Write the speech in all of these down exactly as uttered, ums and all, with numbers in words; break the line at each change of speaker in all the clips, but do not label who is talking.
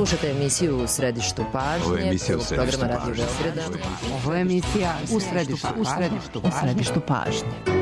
Slušajte emisiju U središtu pažnje.
Ovo je emisija U središtu pažnje.
Ovo je emisija U središtu pažnje. U središtu pažnje.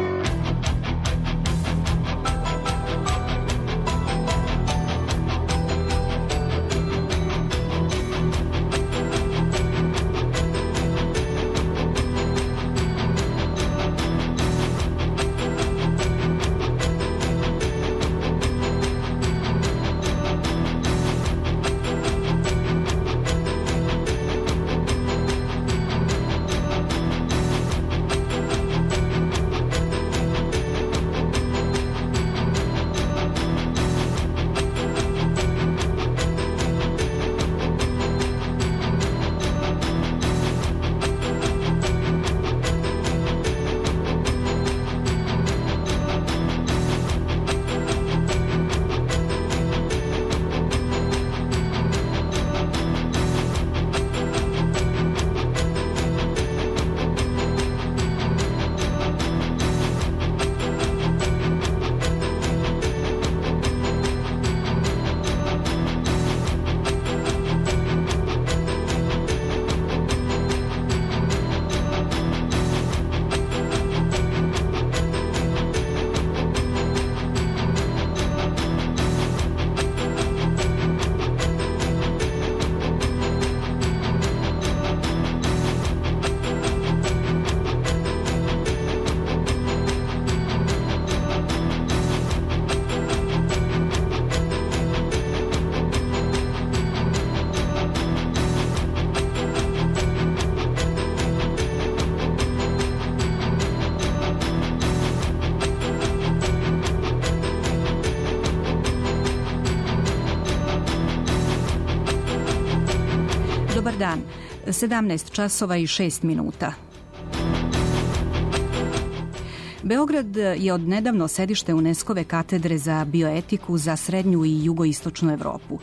Dobar dan, sedamnaest časova i šest minuta. Beograd je odnedavno sedište UNESCO-ve katedre za bioetiku za srednju i jugoistočnu Evropu.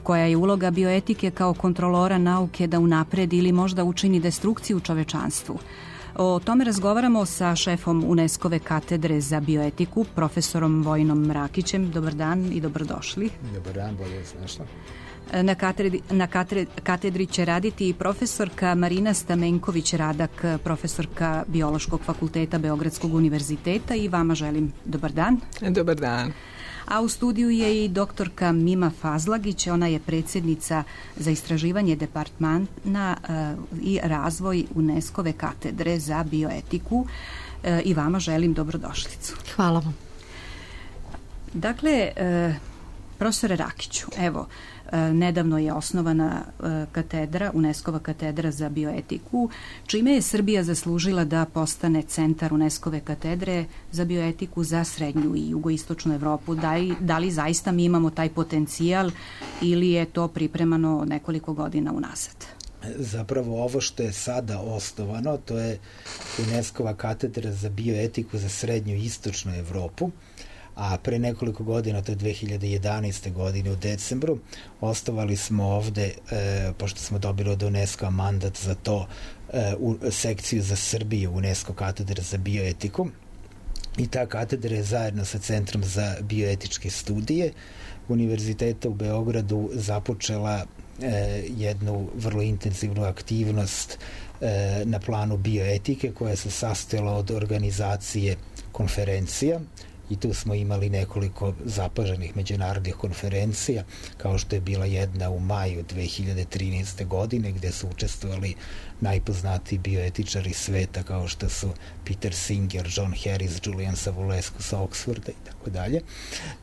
Koja je uloga bioetike kao kontrolora nauke da unapredi ili možda učini destrukciju čovečanstvu? O tome razgovaramo sa šefom UNESCO-ve katedre za bioetiku, profesorom Vojinom Mrakićem. Dobar dan i dobrodošli.
Dobar dan, bolje vas našla.
Na katedri, na katedri će raditi i profesorka Marina Stamenković-Radak, profesorka Biološkog fakulteta Beogradskog univerziteta, i vama želim dobar dan.
Dobar dan.
A u studiju je i doktorka Mima Fazlagić, ona je predsjednica za istraživanje departmana uh, i razvoj UNESCO-ve katedre za bioetiku, uh, i vama želim dobrodošlicu.
Hvala vam.
Dakle, uh, profesore Rakiću, evo, nedavno je osnovana katedra, UNESCO-va katedra za bioetiku, čime je Srbija zaslužila da postane centar UNESCO-ve katedre za bioetiku za srednju i jugoistočnu Evropu. Da li, da li zaista mi imamo taj potencijal ili je to pripremano nekoliko godina unazad?
Zapravo ovo što je sada osnovano, to je UNESCO-va katedra za bioetiku za srednju i istočnu Evropu, a pre nekoliko godina, to je dve hiljade jedanaeste. godine u decembru, osnovali smo ovde, e, pošto smo dobili od UNESCO mandat za to, e, u sekciju za Srbiju UNESCO katedra za bioetiku, i ta katedra je zajedno sa Centrom za bioetičke studije Univerziteta u Beogradu započela e, jednu vrlo intenzivnu aktivnost e, na planu bioetike, koja se sastojala od organizacije konferencija, i tu smo imali nekoliko zapaženih međunarodnih konferencija, kao što je bila jedna u maju dve hiljade trinaeste. godine, gde su učestvovali najpoznatiji bioetičari sveta, kao što su Peter Singer, John Harris, Julian Savulescu sa Oxforda i tako dalje.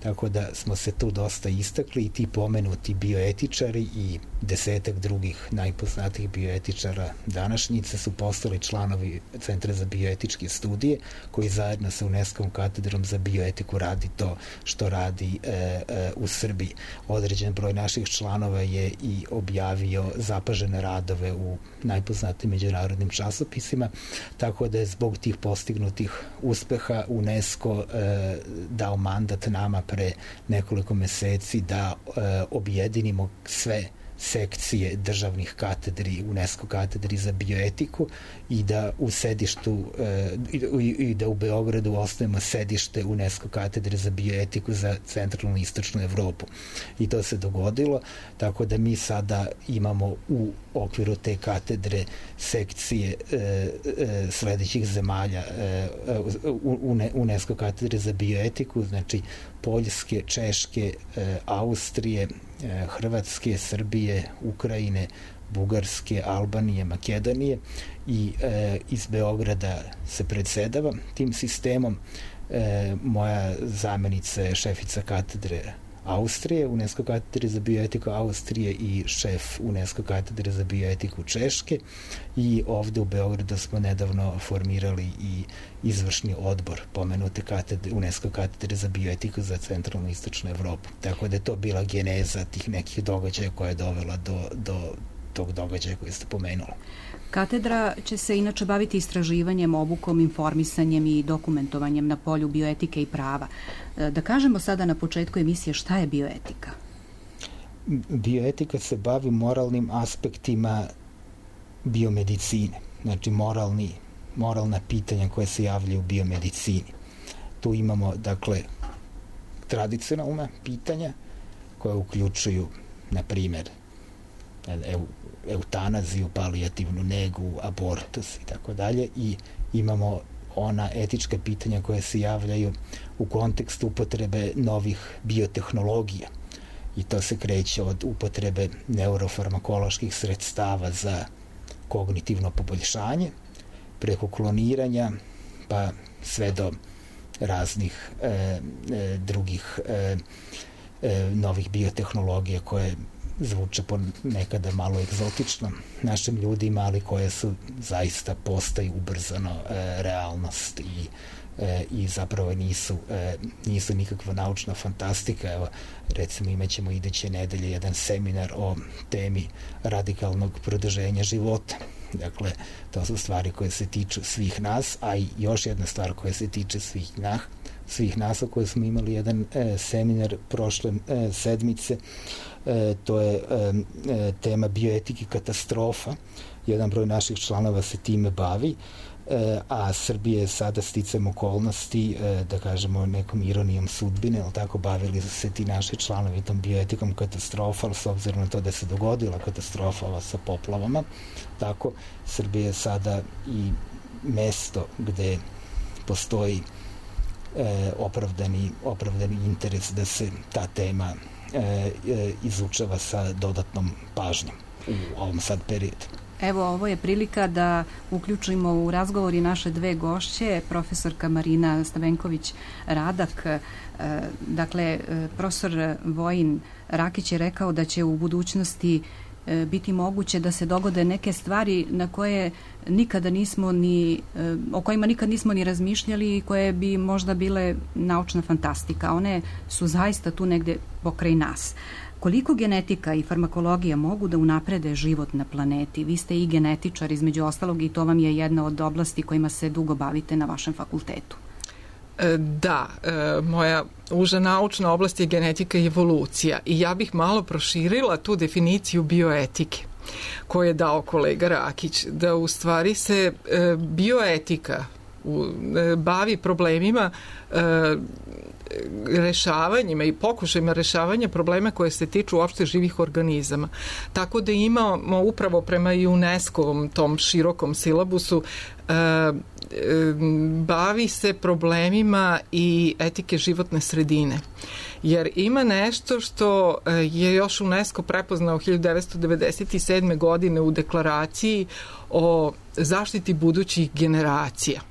Tako da smo se tu dosta istakli, i ti pomenuti bioetičari i desetak drugih najpoznatijih bioetičara današnjice su postali članovi Centra za bioetičke studije, koji zajedno sa UNESCO-vom katedrom za bioetiku radi to što radi e, e, u Srbiji. Određen broj naših članova je i objavio zapažene radove u najpoznatijim međunarodnim časopisima, tako da je zbog tih postignutih uspeha UNESCO e, dao mandat nama pre nekoliko meseci da e, objedinimo sve sekcije državnih katedri, UNESCO katedri za bioetiku i da u sedištu i, i da u Beogradu osnovimo sedište UNESCO katedre za bioetiku za centralnu i istočnu Evropu. I to se dogodilo, tako da mi sada imamo u okviru te katedre sekcije e, e, sledećih zemalja e, UNESCO katedre za bioetiku, znači Poljske, Češke, e, Austrije, e, Hrvatske, Srbije, Ukrajine, Bugarske, Albanije, Makedonije i e, iz Beograda se predsedava tim sistemom. E, moja zamenica je šefica katedre Austrije, UNESCO katedre za bioetiku Austrije i šef UNESCO katedre za bioetiku Češke i ovde u Beogradu smo nedavno formirali i izvršni odbor pomenute katedre, UNESCO katedre za bioetiku za centralnu i istočnu Evropu. Tako da je to bila geneza tih nekih događaja koja je dovela do, do tog događaja koji ste pomenuli.
Katedra će se inače baviti istraživanjem, obukom, informisanjem i dokumentovanjem na polju bioetike i prava. Da kažemo sada na početku emisije šta je bioetika?
Bioetika se bavi moralnim aspektima biomedicine, znači moralni, moralna pitanja koje se javljaju u biomedicini. Tu imamo, dakle, tradicionalna pitanja koja uključuju, na primjer, eutanaziju, palijativnu negu, abortus i tako dalje, i imamo ona etička pitanja koja se javljaju u kontekstu upotrebe novih biotehnologija i to se kreće od upotrebe neurofarmakoloških sredstava za kognitivno poboljšanje preko kloniranja pa sve do raznih e, e, drugih e, e, novih biotehnologija koje zvuče nekada malo egzotično našim ljudima, ali koje su zaista postaju ubrzano e, realnost i, e, i zapravo nisu, e, nisu nikakva naučna fantastika. Evo, recimo imaćemo iduće nedelje jedan seminar o temi radikalnog produženja života. Dakle, to su stvari koje se tiču svih nas, a i još jedna stvar koja se tiče svih nas, svih nas o kojoj smo imali jedan e, seminar prošle e, sedmice. E, to je e, tema bioetike katastrofa. Jedan broj naših članova se time bavi, e, a Srbije je sada sticajem okolnosti, e, da kažemo nekom ironijom sudbine, ali tako bavili su se ti naši članovi tom bioetikom katastrofa, ali s obzirom na to da se dogodila katastrofa sa poplavama, tako Srbije je sada i mesto gde postoji e, opravdani, opravdani interes da se ta tema E, e, izučava sa dodatnom pažnjom u ovom sad periodu.
Evo, ovo je prilika da uključimo u razgovor i naše dve gošće, profesorka Marina Stavenković-Radak. E, dakle, profesor Vojin Rakić je rekao da će u budućnosti biti moguće da se dogode neke stvari na koje nikada nismo ni, o kojima nikad nismo ni razmišljali i koje bi možda bile naučna fantastika. One su zaista tu negde pokraj nas. Koliko genetika i farmakologija mogu da unaprede život na planeti? Vi ste i genetičar između ostalog i to vam je jedna od oblasti kojima se dugo bavite na vašem fakultetu.
Da, moja uža naučna oblast je genetika i evolucija i ja bih malo proširila tu definiciju bioetike koju je dao kolega Rakić, da u stvari se bioetika bavi problemima rešavanjima i pokušajima rešavanja problema koje se tiču uopšte živih organizama. Tako da imamo upravo prema UNESCO-ovom tom širokom silabusu e, e, bavi se problemima i etike životne sredine. Jer ima nešto što je još UNESCO prepoznao hiljadu devetsto devedeset sedme. godine u deklaraciji o zaštiti budućih generacija.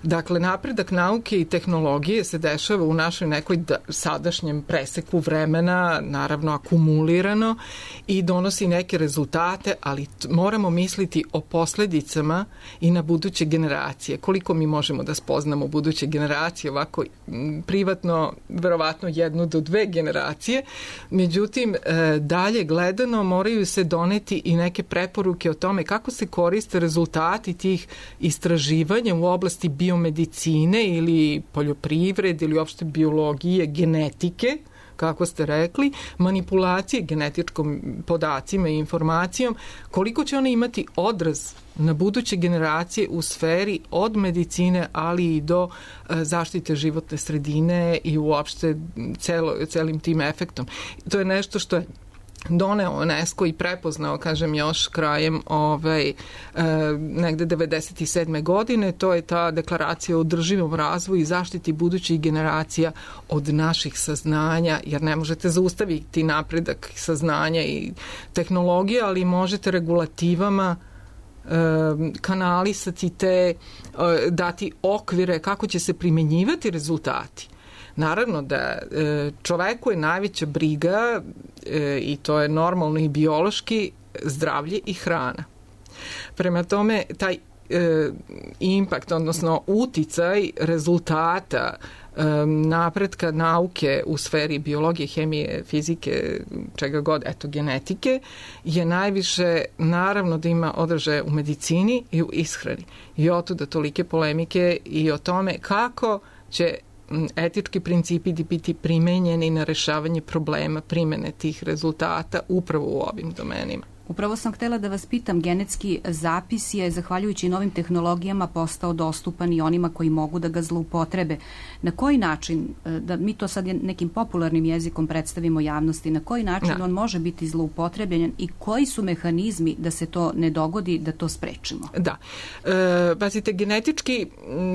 Dakle, napredak nauke i tehnologije se dešava u našoj nekoj da, sadašnjem preseku vremena, naravno akumulirano i donosi neke rezultate, ali t- moramo misliti o posledicama i na buduće generacije. Koliko mi možemo da spoznamo buduće generacije, ovako m, privatno, verovatno jednu do dve generacije, međutim, e, dalje gledano moraju se doneti i neke preporuke o tome kako se koriste rezultati tih istraživanja u oblasti oblasti biomedicine ili poljoprivrede ili uopšte biologije, genetike, kako ste rekli, manipulacije genetičkom podacima i informacijom, koliko će one imati odraz na buduće generacije u sferi od medicine, ali i do zaštite životne sredine i uopšte celo, celim tim efektom. To je nešto što je doneo UNESCO i prepoznao, kažem, još krajem ovaj, e, negde devedeset sedme godine. To je ta deklaracija o održivom razvoju i zaštiti budućih generacija od naših saznanja, jer ne možete zaustaviti napredak saznanja i tehnologije, ali možete regulativama kanalisati te, dati okvire kako će se primenjivati rezultati. Naravno da čoveku je najveća briga, i to je normalno i biološki, zdravlje i hrana. Prema tome, taj impact, odnosno uticaj rezultata napretka nauke u sferi biologije, hemije, fizike, čega god, eto, genetike, je najviše, naravno, da ima odražaje u medicini i u ishrani. I otuda tolike polemike i o tome kako će etički principi biti primenjeni na rešavanje problema primene tih rezultata upravo u ovim domenima.
Upravo sam htela da vas pitam, genetski zapis je, zahvaljujući novim tehnologijama, postao dostupan i onima koji mogu da ga zloupotrebe. Na koji način, da mi to sad nekim popularnim jezikom predstavimo javnosti, na koji način da. on može biti zloupotrebljen i koji su mehanizmi da se to ne dogodi, da to sprečimo?
Da. E, pazite, genetički,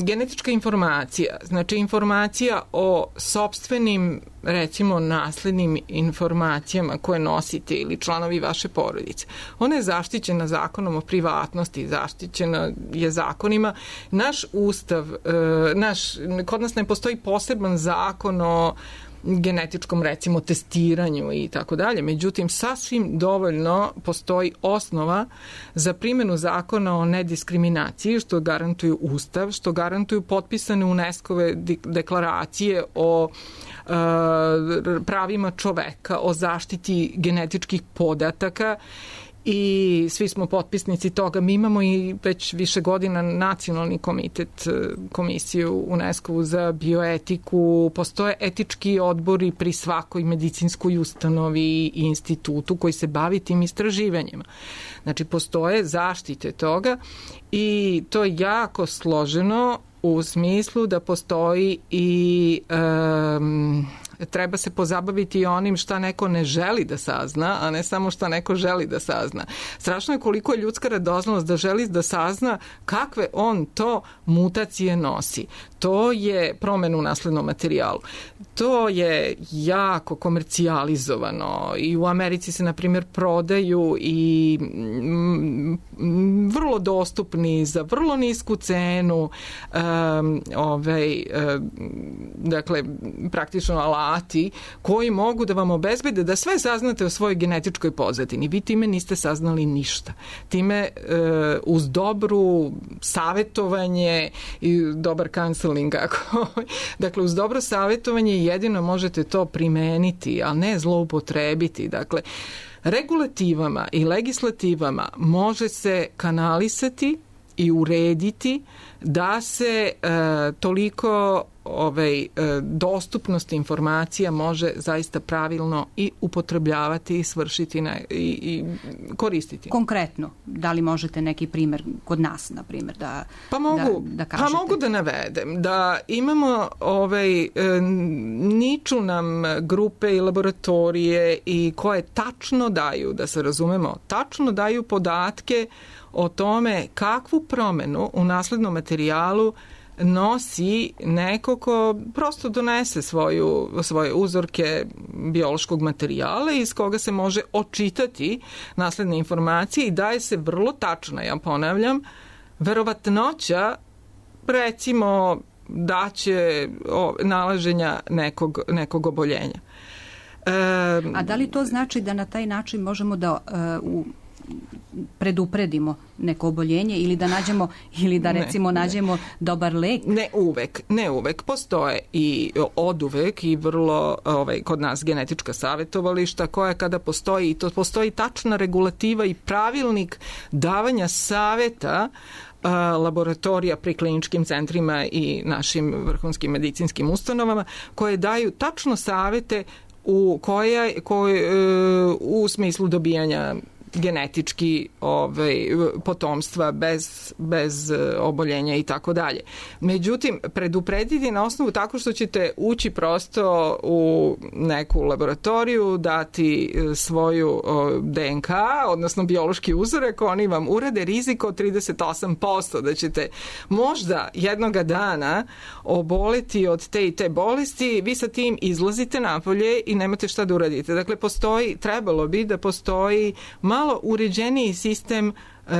genetička informacija, znači informacija o sopstvenim, recimo, naslednim informacijama koje nosite ili članovi vaše porodice. Ona je zaštićena zakonom o privatnosti, zaštićena je zakonima. Naš ustav, naš, kod nas ne postoji poseban zakon o genetičkom, recimo, testiranju i tako dalje. Međutim, sasvim dovoljno postoji osnova za primjenu zakona o nediskriminaciji, što garantuju ustav, što garantuju potpisane UNESCO-ve deklaracije o pravima čoveka, o zaštiti genetičkih podataka i svi smo potpisnici toga. Mi imamo i već više godina nacionalni komitet, komisiju UNESCO za bioetiku, postoje etički odbori pri svakoj medicinskoj ustanovi i institutu koji se bavi tim istraživanjima. Znači, postoje zaštite toga i to je jako složeno u smislu da postoji i um, treba se pozabaviti i onim šta neko ne želi da sazna, a ne samo šta neko želi da sazna. Strašno je koliko je ljudska radoznalost da želi da sazna kakve on to mutacije nosi. To je promena u naslednom materijalu. To je jako komercijalizovano i u Americi se, na primjer, prodaju i vrlo dostupni za vrlo nisku cenu um, ovaj, um, dakle, praktično alati koji mogu da vam obezbede da sve saznate o svojoj genetičkoj pozadini. Vi time niste saznali ništa. Time uh, uz dobru savetovanje i dobar counseling, ako, dakle, uz dobro savetovanje jedino možete to primeniti, a ne zloupotrebiti. Dakle, regulativama i legislativama može se kanalisati i urediti da se e, toliko ovaj, e, dostupnost informacija može zaista pravilno i upotrebljavati i svršiti na, i, i koristiti.
Konkretno, da li možete neki primer kod nas, na primjer, da,
pa mogu,
da, da kažete?
Pa mogu da navedem da imamo ovaj, e, niču nam grupe i laboratorije i koje tačno daju, da se razumemo, tačno daju podatke o tome kakvu promenu u naslednom materijalu nosi neko ko prosto donese svoju, svoje uzorke biološkog materijala iz koga se može očitati nasledne informacije i daje se vrlo tačna, ja ponavljam, verovatnoća, recimo, da će o, nalaženja nekog, nekog oboljenja.
E, A da li to znači da na taj način možemo da uh, u predupredimo neko oboljenje ili da nađemo ili da recimo ne, nađemo ne. dobar lek?
Ne uvek, ne uvek. Postoje i oduvek i vrlo ovaj, kod nas genetička savjetovališta koja kada postoji, i to postoji tačna regulativa i pravilnik davanja savjeta laboratorija pri kliničkim centrima i našim vrhunskim medicinskim ustanovama koje daju tačno savjete u koje, koje u smislu dobijanja genetički ovaj, potomstva bez, bez oboljenja i tako dalje. Međutim, preduprediti na osnovu tako što ćete ući prosto u neku laboratoriju, dati svoju D N K, odnosno biološki uzorak, oni vam urade rizik od trideset osam posto da ćete možda jednoga dana oboleti od te i te bolesti, vi sa tim izlazite napolje i nemate šta da uradite. Dakle, postoji, trebalo bi da postoji malo uređeniji sistem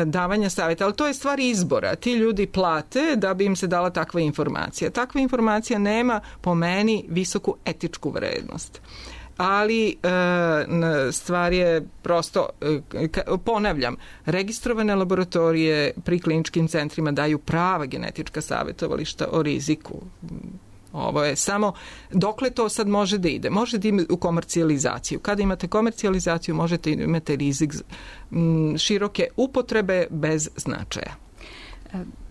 davanja savjeta, ali to je stvar izbora. Ti ljudi plate da bi im se dala takva informacija. Takva informacija nema, po meni, visoku etičku vrednost. Ali stvar je prosto, ponavljam, registrovane laboratorije pri kliničkim centrima daju prava genetička savjetovališta o riziku. Ovo je samo, dokle to sad može da ide? Može da ide u komercijalizaciju. Kada imate komercijalizaciju, možete imati rizik široke upotrebe bez značaja.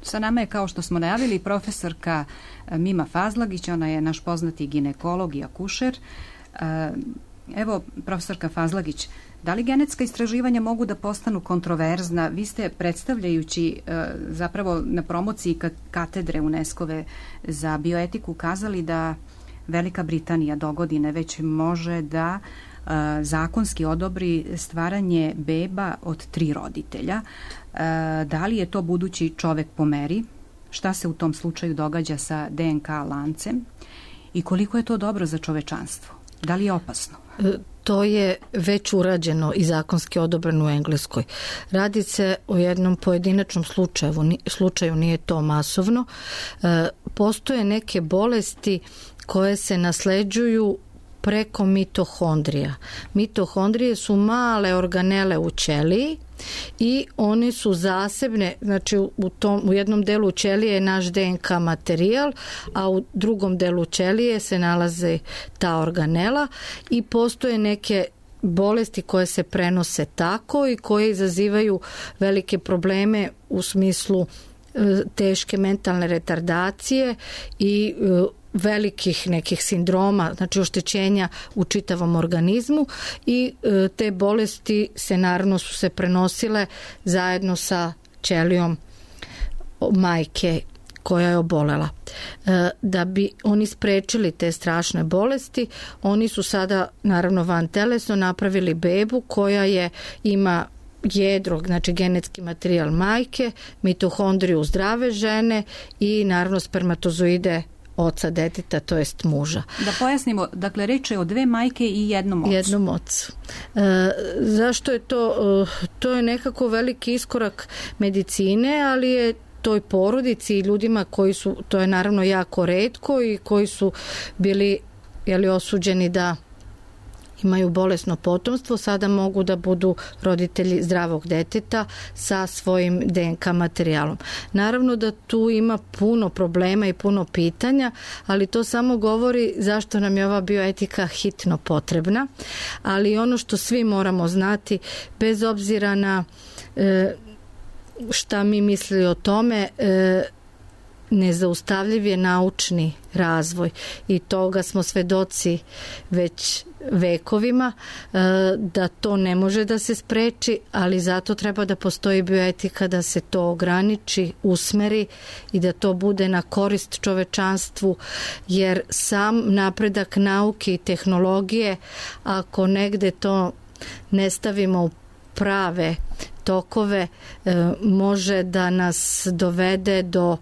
Sa nama je, kao što smo najavili, profesorka Mima Fazlagić, ona je naš poznati ginekolog i akušer. Evo, profesorka Fazlagić, da li genetska istraživanja mogu da postanu kontroverzna? Vi ste, predstavljajući zapravo na promociji katedre UNESCO-ve za bioetiku, kazali da Velika Britanija dogodine već može da zakonski odobri stvaranje beba od tri roditelja. Da li je to budući čovek po meri? Šta se u tom slučaju događa sa D N K lancem? I koliko je to dobro za čovečanstvo? Da li je opasno?
To je već urađeno i zakonski odobreno u Engleskoj. Radi se o jednom pojedinačnom slučaju, slučaju nije to masovno. Postoje neke bolesti koje se nasleđuju preko mitohondrija. Mitohondrije su male organele u ćeliji i one su zasebne, znači u, tom, u jednom delu ćelije je naš D N K materijal, a u drugom delu ćelije se nalaze ta organela i postoje neke bolesti koje se prenose tako i koje izazivaju velike probleme u smislu teške mentalne retardacije i velikih nekih sindroma, znači oštećenja u čitavom organizmu i e, te bolesti se naravno su se prenosile zajedno sa ćelijom majke koja je obolela. E, da bi oni sprečili te strašne bolesti, oni su sada naravno vantelesno napravili bebu koja je ima jedro, znači genetski materijal majke, mitohondriju zdrave žene i naravno spermatozoide oca deteta, to jest muža.
Da pojasnimo, dakle, reč je o dve majke i jednom ocu.
Jednom ocu. E, zašto je to? E, to je nekako veliki iskorak medicine, ali je toj porodici i ljudima koji su, to je naravno jako retko i koji su bili jeli, osuđeni da imaju bolesno potomstvo, sada mogu da budu roditelji zdravog deteta sa svojim D N K materijalom. Naravno da tu ima puno problema i puno pitanja, ali to samo govori zašto nam je ova bioetika hitno potrebna, ali ono što svi moramo znati, bez obzira na e, šta mi mislili o tome, e, nezaustavljiv je naučni razvoj i toga smo svedoci već vekovima, da to ne može da se spreči, ali zato treba da postoji bioetika da se to ograniči, usmeri i da to bude na korist čovečanstvu, jer sam napredak nauke i tehnologije, ako negde to ne stavimo u prave tokove, može da nas dovede do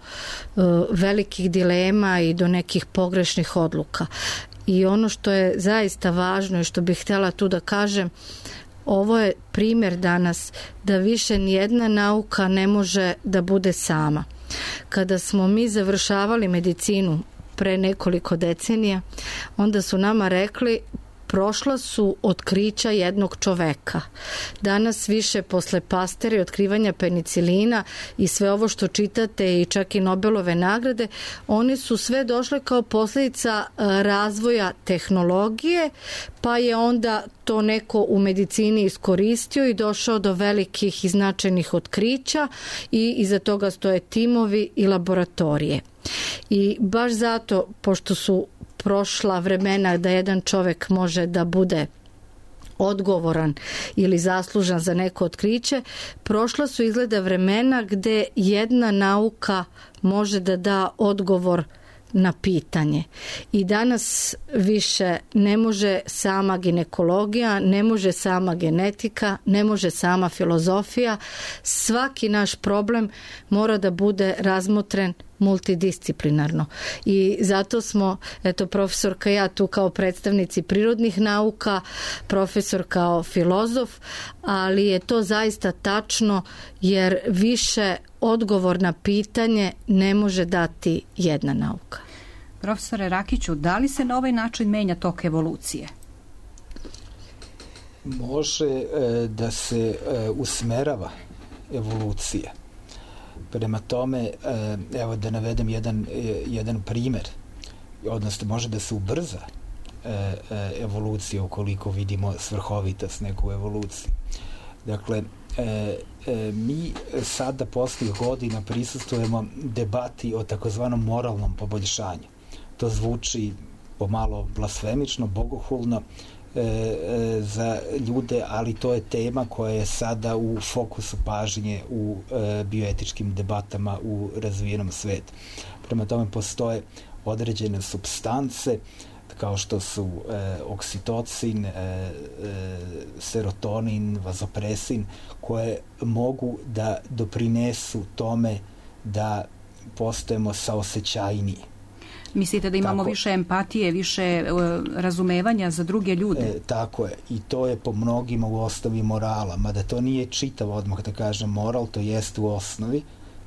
velikih dilema i do nekih pogrešnih odluka. I ono što je zaista važno i što bih htjela tu da kažem, ovo je primjer danas da više nijedna nauka ne može da bude sama. Kada smo mi završavali medicinu pre nekoliko decenija, onda su nama rekli prošla su otkrića jednog čoveka. Danas više posle Pastere i otkrivanja penicilina i sve ovo što čitate i čak i Nobelove nagrade, one su sve došle kao posljedica razvoja tehnologije, pa je onda to neko u medicini iskoristio i došao do velikih i značajnih otkrića i iza toga stoje timovi i laboratorije. I baš zato, pošto su prošla vremena da jedan čovjek može da bude odgovoran ili zaslužan za neko otkriće, prošla su izgleda vremena gde jedna nauka može da da odgovor na pitanje. I danas više ne može sama ginekologija, ne može sama genetika, ne može sama filozofija. Svaki naš problem mora da bude razmotren multidisciplinarno. I zato smo, eto, profesorka ja tu kao predstavnici prirodnih nauka, profesor kao filozof, ali je to zaista tačno jer više odgovor na pitanje ne može dati jedna nauka.
Profesore Rakiću, da li se na ovaj način menja tok evolucije?
Može e, da se e, usmerava evolucija. Prema tome, e, evo da navedem jedan, e, jedan primer, odnosno može da se ubrza e, e, evolucija ukoliko vidimo svrhovitost neku evoluciju. Dakle, E, e, mi sada posljednjih godina prisustvujemo debati o takozvanom moralnom poboljšanju. To zvuči pomalo blasfemično, bogohulno e, e, za ljude, ali to je tema koja je sada u fokusu pažnje u e, bioetičkim debatama u razvijenom svetu. Prema tome postoje određene supstance kao što su e, oksitocin, e, e, serotonin, vazopresin, koje mogu da doprinesu tome da postajemo saosećajniji.
Mislite da imamo
tako,
više empatije, više e, razumevanja za druge ljude?
E, tako je. I to je po mnogima u osnovi morala. Mada to nije čitav odmah da kažem moral, to jest u osnovi,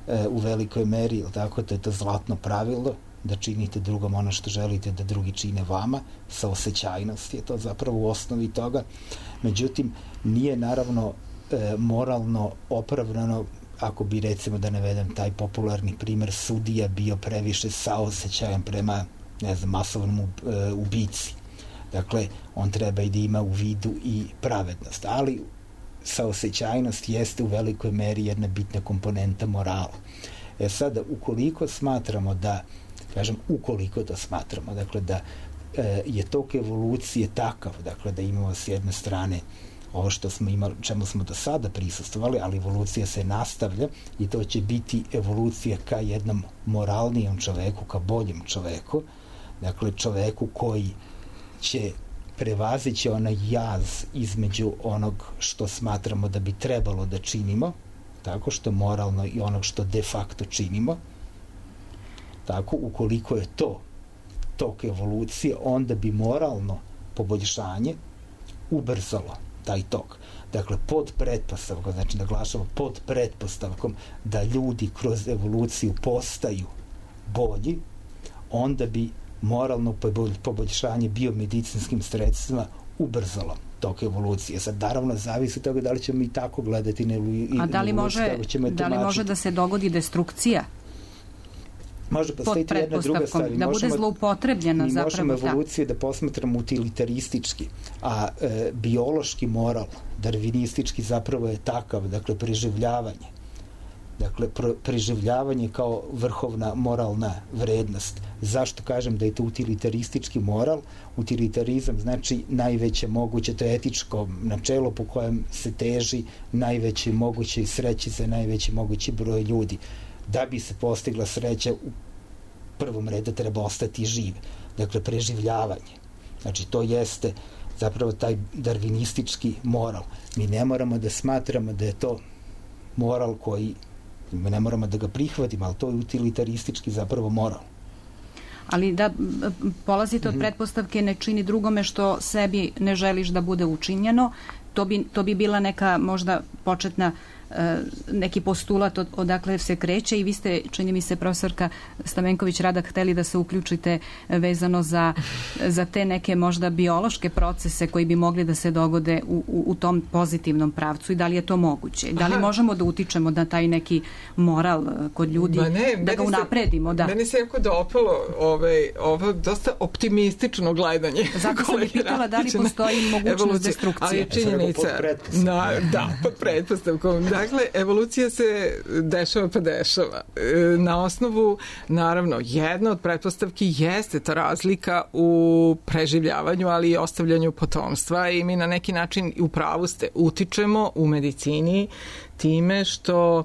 e, u velikoj meri, tako, to je to zlatno pravilo, da činite drugom ono što želite da drugi čine vama, saosećajnost je to zapravo u osnovi toga. Međutim, nije naravno e, moralno opravdano ako bi, recimo, da navedem taj popularni primer, sudija bio previše saosećajan prema, ne znam, masovnom e, ubici. Dakle, on treba i da ima u vidu i pravednost. Ali saosećajnost jeste u velikoj meri jedna bitna komponenta morala. E sada, ukoliko smatramo da kažem, ukoliko to smatramo, dakle, da e, je tok evolucije takav, dakle, da imamo s jedne strane ovo što smo imali, čemu smo do sada prisustvovali, ali evolucija se nastavlja i to će biti evolucija ka jednom moralnijem čoveku, ka boljem čoveku, dakle, čoveku koji će prevazići onaj jaz između onog što smatramo da bi trebalo da činimo, tako što moralno, i onog što de facto činimo. Tako, ukoliko je to tok evolucije, onda bi moralno poboljšanje ubrzalo taj tok. Dakle, pod pretpostavkom, znači naglašamo pod pretpostavkom da ljudi kroz evoluciju postaju bolji, onda bi moralno poboljšanje biomedicinskim sredstvima ubrzalo tok evolucije. Sad, naravno, zavisi od toga da li ćemo i tako gledati na evoluciju.
A da li može, da li može da se dogodi destrukcija?
Može postaviti jedna druga stvar.
Da bude zloupotrebljena zapravo.
Mi možemo evoluciju da, da posmatramo utilitaristički, a e, biološki moral, darvinistički zapravo je takav, dakle, preživljavanje. Dakle, pr- preživljavanje kao vrhovna moralna vrednost. Zašto kažem da je to utilitaristički moral? Utilitarizam znači najveće moguće, to je etičko načelo po kojem se teži najveće moguće sreći za najveći mogući broj ljudi. Da bi se postigla sreća, u prvom redu treba ostati živ. Dakle, preživljavanje. Znači, to jeste zapravo taj darvinistički moral. Mi ne moramo da smatramo da je to moral koji, ne moramo da ga prihvatimo, ali to je utilitaristički zapravo moral.
Ali da polazite od pretpostavke ne čini drugome što sebi ne želiš da bude učinjeno, to bi, to bi bila neka možda početna neki postulat od, odakle se kreće i vi ste, čini mi se, profesorka Stamenković-Radak, hteli da se uključite vezano za, za te neke možda biološke procese koji bi mogli da se dogode u, u, u tom pozitivnom pravcu i da li je to moguće? Da li Aha. možemo da utičemo na taj neki moral kod ljudi, ne, da ga unapredimo? Da.
Meni se jako dopalo ovaj, ovo dosta optimistično gledanje.
Zato sam i pitala da li postoji mogućnost evolucije, destrukcije.
Ali činjenica, na, da, pod pretpostavkom. Dakle, evolucija se dešava pa dešava. Na osnovu, naravno, jedna od pretpostavki jeste ta razlika u preživljavanju, ali i ostavljanju potomstva i mi na neki način, u pravu ste, utičemo u medicini time što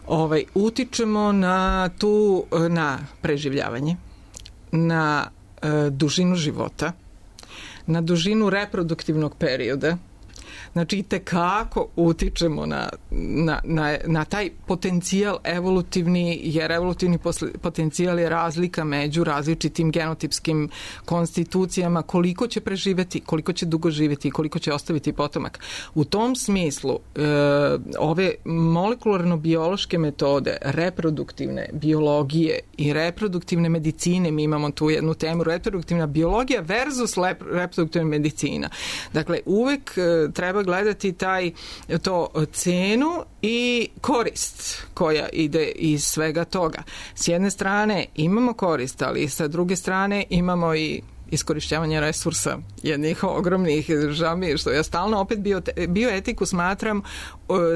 ovaj, utičemo na tu, na preživljavanje, na e, dužinu života, na dužinu reproduktivnog perioda. Znači, itekako utičemo na, na, na, na taj potencijal evolutivni, jer evolutivni posle, potencijal je razlika među različitim genotipskim konstitucijama, koliko će preživeti, koliko će dugo živjeti, koliko će ostaviti potomak. U tom smislu, e, ove molekularno-biološke metode, reproduktivne biologije i reproduktivne medicine, mi imamo tu jednu temu, reproduktivna biologija versus lep, reproduktivna medicina. Dakle, uvek e, treba gledati taj, to cenu i korist koja ide iz svega toga. S jedne strane imamo korist, ali sa druge strane imamo i iskorišćavanje resursa jednih ogromnih, žao mi je što ja stalno opet bio, bioetiku smatram,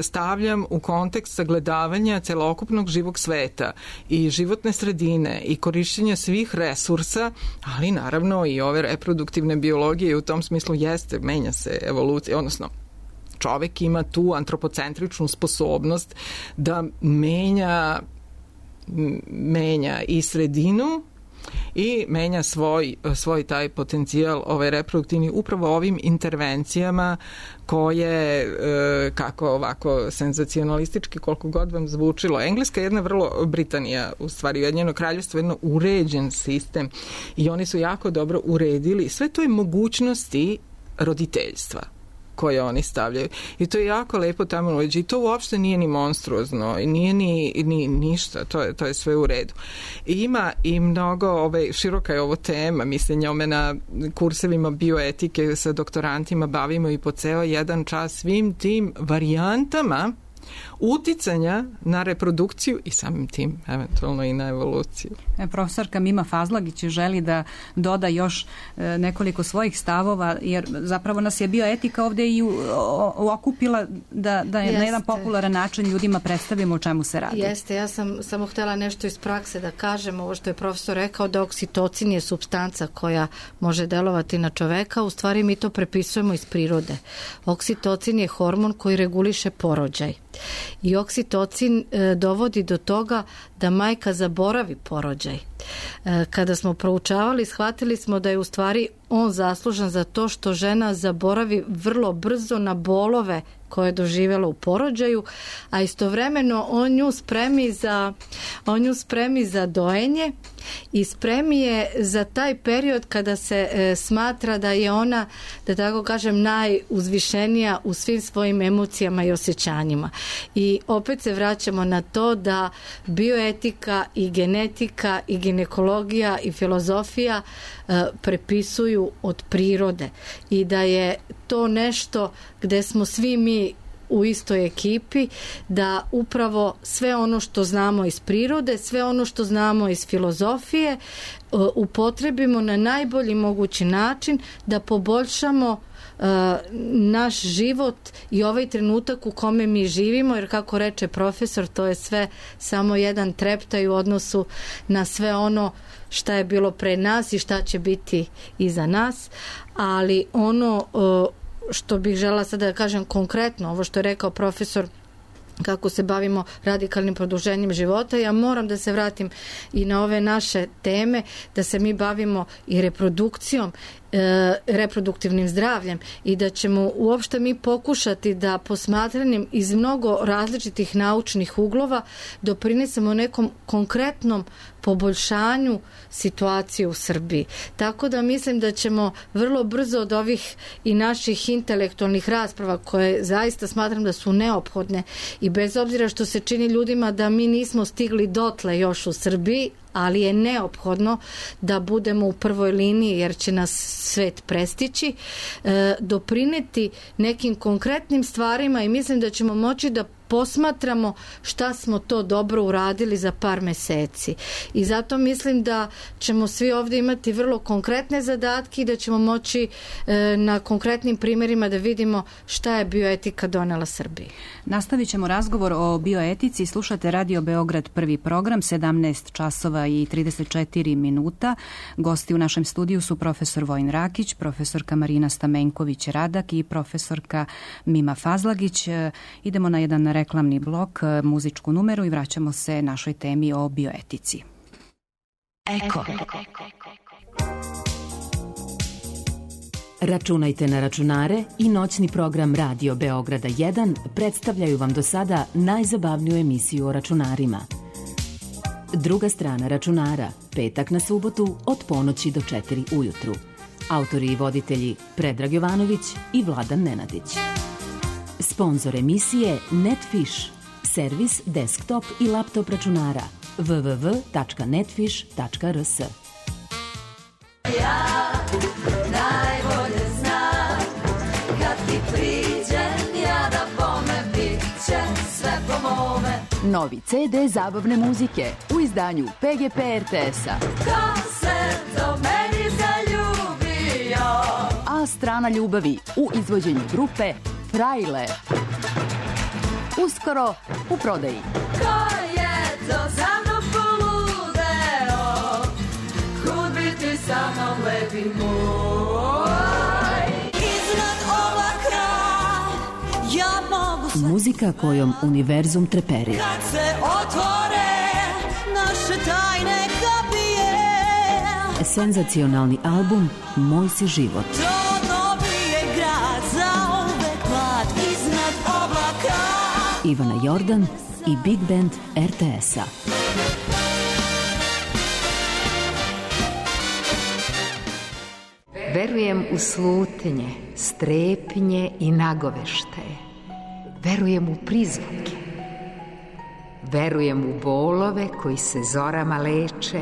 stavljam u kontekst sagledavanja celokupnog živog sveta i životne sredine i korišćenja svih resursa, ali naravno i ove reproduktivne biologije u tom smislu jeste, menja se evolucija, odnosno čovek ima tu antropocentričnu sposobnost da menja menja i sredinu i menja svoj, svoj taj potencijal ovaj reproduktivni upravo ovim intervencijama koje, e, kako ovako senzacionalistički, koliko god vam zvučilo. Engleska je jedna vrlo, Britanija, u stvari Ujedinjeno kraljevstvo, jedno uređen sistem i oni su jako dobro uredili sve to je mogućnosti roditeljstva koje oni stavljaju. I to je jako lepo tamo uređi. I to uopšte nije ni monstruozno, i nije ni, ni ništa, to je, to je sve u redu. I ima i mnogo, ovaj, široka je ovo tema, mislim, njome na kursevima bioetike sa doktorantima bavimo i po ceo jedan čas svim tim varijantama uticanja na reprodukciju i samim tim eventualno i na evoluciju.
E, profesorka Mima Fazlagić želi da doda još e, nekoliko svojih stavova, jer zapravo nas je bioetika ovde i u, o, okupila da, da je na jedan popularan način ljudima predstavimo o čemu se radi.
Jeste, ja sam samo htjela nešto iz prakse da kažem, ovo što je profesor rekao, da oksitocin je supstanca koja može delovati na čoveka, u stvari mi to prepisujemo iz prirode. Oksitocin je hormon koji reguliše porođaj. I oksitocin e, dovodi do toga da majka zaboravi porođaj. E, kada smo proučavali, shvatili smo da je u stvari on zaslužan za to što žena zaboravi vrlo brzo na bolove koje je doživjela u porođaju, a istovremeno on nju spremi za, on nju spremi za dojenje i spremi je za taj period kada se e, smatra da je ona, da tako kažem, najuzvišenija u svim svojim emocijama i osjećanjima. I opet se vraćamo na to da bioetika i genetika i ginekologija i filozofija e, prepisuju od prirode i da je to nešto gde smo svi mi u istoj ekipi, da upravo sve ono što znamo iz prirode, sve ono što znamo iz filozofije upotrebimo na najbolji mogući način da poboljšamo uh, naš život i ovaj trenutak u kome mi živimo, jer kako reče profesor, to je sve samo jedan treptaj u odnosu na sve ono šta je bilo pre nas i šta će biti iza nas, ali ono uh, što bih žela sada da kažem konkretno, ovo što je rekao profesor, kako se bavimo radikalnim produženjem života, ja moram da se vratim i na ove naše teme, da se mi bavimo i reprodukcijom e, reproduktivnim zdravljem i da ćemo uopšte mi pokušati da posmatranjem iz mnogo različitih naučnih uglova doprinesemo nekom konkretnom poboljšanju situacije u Srbiji. Tako da mislim da ćemo vrlo brzo od ovih i naših intelektualnih rasprava, koje zaista smatram da su neophodne i bez obzira što se čini ljudima da mi nismo stigli dotle još u Srbiji, ali je neophodno da budemo u prvoj liniji jer će nas svet prestići, e, doprineti nekim konkretnim stvarima i mislim da ćemo moći da posmatramo šta smo to dobro uradili za par meseci. I zato mislim da ćemo svi ovdje imati vrlo konkretne zadatke i da ćemo moći e, na konkretnim primjerima da vidimo šta je bioetika donela Srbiji.
Nastavit ćemo razgovor o bioetici. Slušate Radio Beograd, prvi program, sedamnaest časova i trideset četiri minuta. Gosti u našem studiju su profesor Vojin Rakić, profesorka Marina Stamenković-Radak i profesorka Mima Fazlagić. Idemo na jedan reklamni blok, muzičku numeru i vraćamo se našoj temi o bioetici.
Eko. Računajte na računare i noćni program Radio Beograda jedan predstavljaju vam do sada najzabavniju emisiju o računarima. Druga strana računara, petak na subotu od ponoći do četiri ujutru. Autori i voditelji Predrag Jovanović i Vladan Nenadić. Sponzor emisije Netfish, servis desktop i laptop računara w w w tačka netfish tačka r s.
Ja najbolje znam kad ti priđem ja da bome bit će sve po mome.
Novi ce de zabavne muzike u izdanju pe ge pe er te es-a.
Ko se do meni zaljubio?
A strana ljubavi u izvođenju grupe Frajle. Uskoro u prodaji.
Ko je to za mnom poludeo? Kud bi ti sa mnom lepi moj? Iznad oblaka ja mogu sve.
Muzika kojom univerzum treperi.
Kad se otvore naše tajne kapije.
Senzacionalni album Moj si život. Ivana Jordan i Big Band er te es-a.
Verujem u slutnje, strepnje i nagoveštaje. Verujem u prizvuke. Verujem u bolove koji se zorama leče,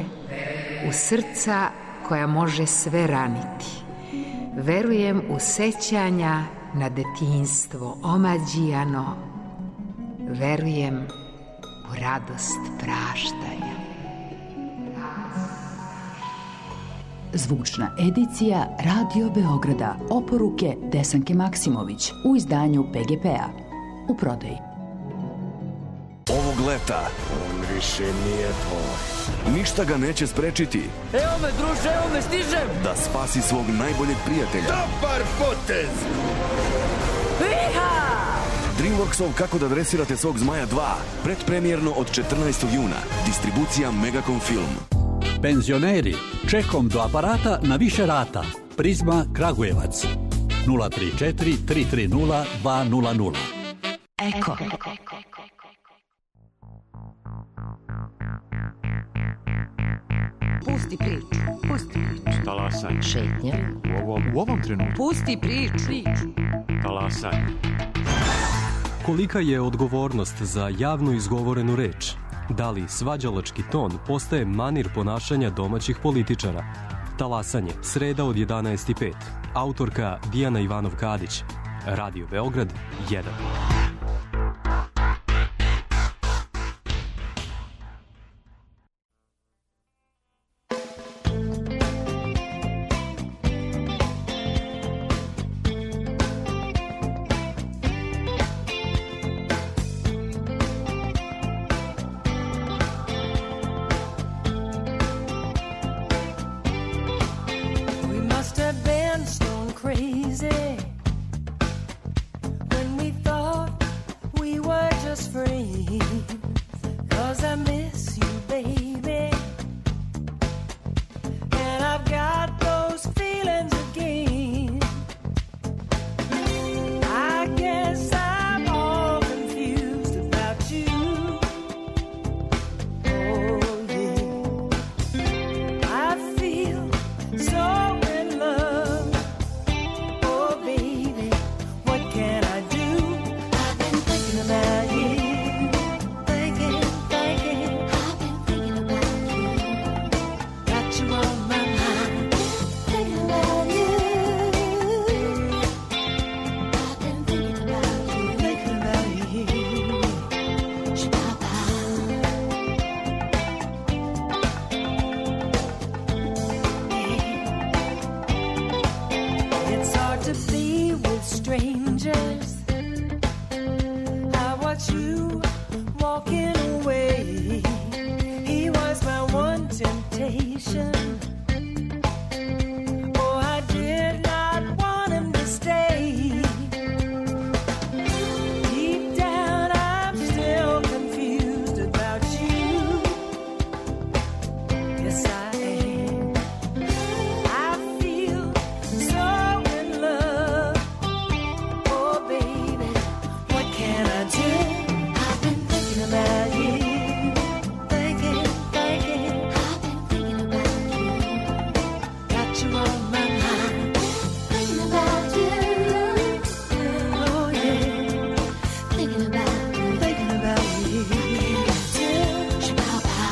u srca koja može sve raniti. Verujem u sećanja na detinjstvo omađijano. Verujem u radost praštanja.
Zvučna edicija Radio Beograda. Oporuke Desanke Maksimović u izdanju pe ge pe-a. U prodaji.
Ovog leta on više nije tvoj. Ništa ga neće sprečiti.
Evo me, druže, evo me, stižem!
Da spasi svog najboljeg prijatelja.
Dobar potez! Iha!
DreamWorksov Kako da dresirate svog zmaja dva. Predpremjerno od četrnaestog juna. Distribucija Megacom Film.
Penzioneri, čekom do aparata na više rata. Prizma Kragujevac. nula tri četiri tri tri nula dva nula nula.
Eko.
Pusti priču, pusti priču.
Talasaj.
Šetnja.
U ovom, u ovom trenutku.
Pusti priču.
Talasaj.
Kolika je odgovornost za javno izgovorenu reč? Da li svađalački ton postaje manir ponašanja domaćih političara? Talasanje, sreda od jedanaest i pet. Autorka Dijana Ivanov-Kadić. Radio Beograd jedan.
Again.
you walking away. He was my one temptation. Oh, I did not want him to stay. Deep down, I'm still confused about you. Yes, I am. I feel so in love. Oh, baby, what can I do? I've been thinking about you. Thinking, thinking. I've been thinking about you. Got you on my mind. Thinking about you. Oh, yeah. Thinking about you. Thinking about you. Shabba-ba.